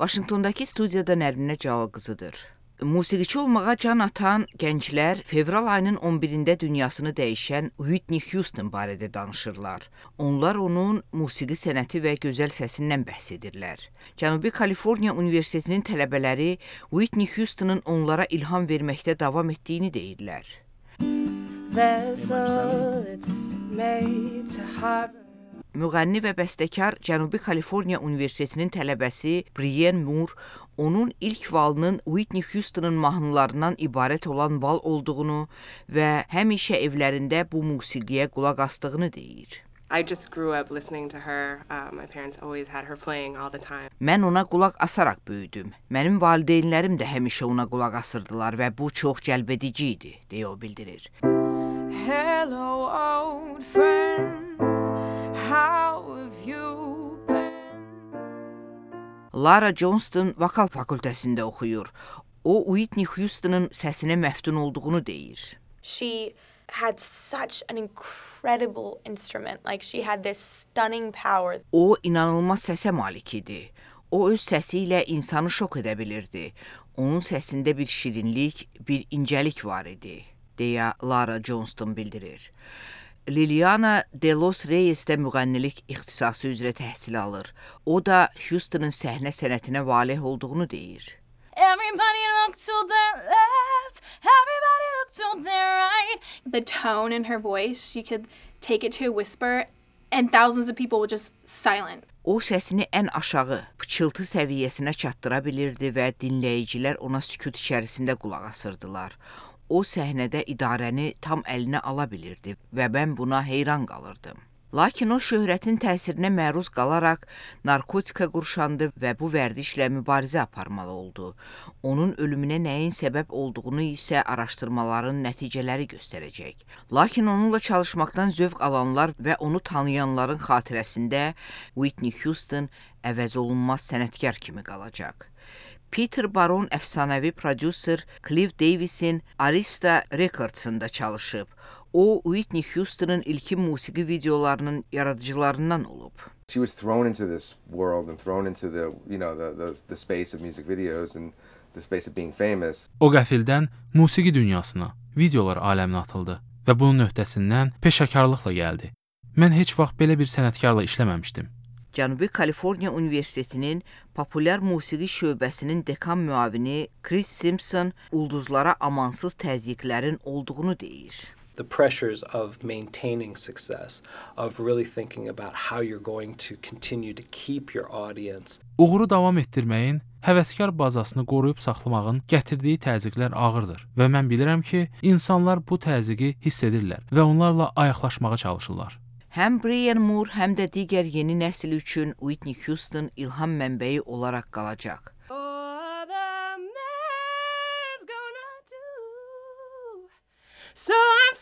Vaşinqtondakı studiyada Nərminə Cəlal qızıdır. Musiqiçi olmağa can atan gənclər fevral ayının 11-də dünyasını dəyişən Whitney Houston barədə danışırlar. Onlar onun musiqi sənəti və gözəl səsindən bəhs edirlər. Cənubi Kaliforniya Universitetinin tələbələri Whitney Houston'ın onlara ilham verməkdə davam etdiyini deyirlər. Müğənni və bəstəkar Cənubi Kaliforniya Universitetinin tələbəsi Brienne Moore onun ilk valının Whitney Houston'ın mahnılarından ibarət olan val olduğunu və həmişə evlərində bu musiqiyə qulaq asdığını deyir. I just grew up listening to her. My parents always had her playing all the time. Mən ona qulaq asaraq böyüdüm. Mənim valideynlərim də həmişə ona qulaq asırdılar və bu çox cəlbedici idi, deyə o bildirir. Hello old friend, how have you been? Lara Johnston vokal fakültəsində oxuyur. O, Whitney Houston'ın səsinə məftun olduğunu deyir. She had such an incredible instrument. Like she had this stunning power. O, inanılmaz səsə malik idi. O, öz səsi ilə insanı şok edə bilirdi. Onun səsində bir şirinlik, bir incəlik var idi, deyə Lara Johnston bildirir. Liliana De Los Reyes də müğənnilik ixtisası üzrə təhsil alır. O da Houston'ın səhnə sənətinə valeh olduğunu deyir. Everybody look to their left, everybody look to their right. The tone in her voice, you could take it to a whisper and thousands of people were just silent. O səsini ən aşağı, pıçıltı səviyyəsinə çatdıra bilirdi və dinləyicilər ona sükut içərisində qulaq asırdılar. O səhnədə idarəni tam əlinə ala bilirdi və mən buna heyran qalırdım. Lakin o şöhrətin təsirinə məruz qalaraq narkotika qurşandı və bu vərdişlə mübarizə aparmalı oldu. Onun ölümünə nəyin səbəb olduğunu isə araşdırmaların nəticələri göstərəcək. Lakin onunla çalışmaqdan zövq alanlar və onu tanıyanların xatirəsində Whitney Houston əvəzolunmaz sənətkar kimi qalacaq. Peter Baron əfsanəvi prodüser Cliff Davis'in Arista Records'ında çalışıb. O, Whitney Houston'ın ilkin musiqi videolarının yaradıcılarından olub. She was thrown into this world and thrown into the space of music videos and the space of being famous. O qəfildən musiqi dünyasına, videolar aləminə atıldı və bunun öhdəsindən peşəkarlıqla gəldi. Mən heç vaxt belə bir sənətkarla işləməmişdim. Cənubi Kaliforniya Universitetinin populyar musiqi şöbəsinin dekan müavini Chris Simpson ulduzlara amansız təzyiqlərin olduğunu deyir. The pressures of maintaining success, of really thinking about how you're going to continue to keep your audience. Uğuru davam etdirməyin, həvəskar bazasını qoruyub saxlamağın gətirdiyi təzyiqlər ağırdır və mən bilirəm ki, insanlar bu təzyiqi hiss edirlər və onlarla ayaqlaşmağa çalışırlar. Həm Brienne Moore, həm də digər yeni nəsil üçün Whitney Houston ilham mənbəyi olaraq qalacaq. So I'm